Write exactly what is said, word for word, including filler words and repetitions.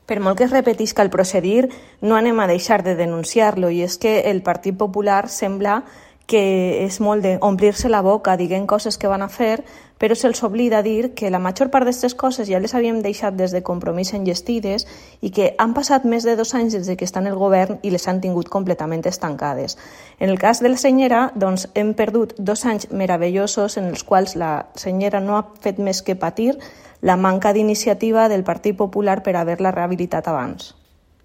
Per molt que es repetisca el procedir, no anem a deixar de denunciar-lo, i és que el Partit Popular sembla que és molt d'omplir-se la boca dient coses que van a fer, però se'ls oblida dir que la major part d'aquestes coses ja les havíem deixat des de Compromís enllestides i que han passat més de dos anys des que estan en el govern i les han tingut completament estancades. En el cas de la senyera, doncs, hem perdut dos anys meravellosos en els quals la senyera no ha fet més que patir la manca d'iniciativa del Partit Popular per haver-la rehabilitat abans.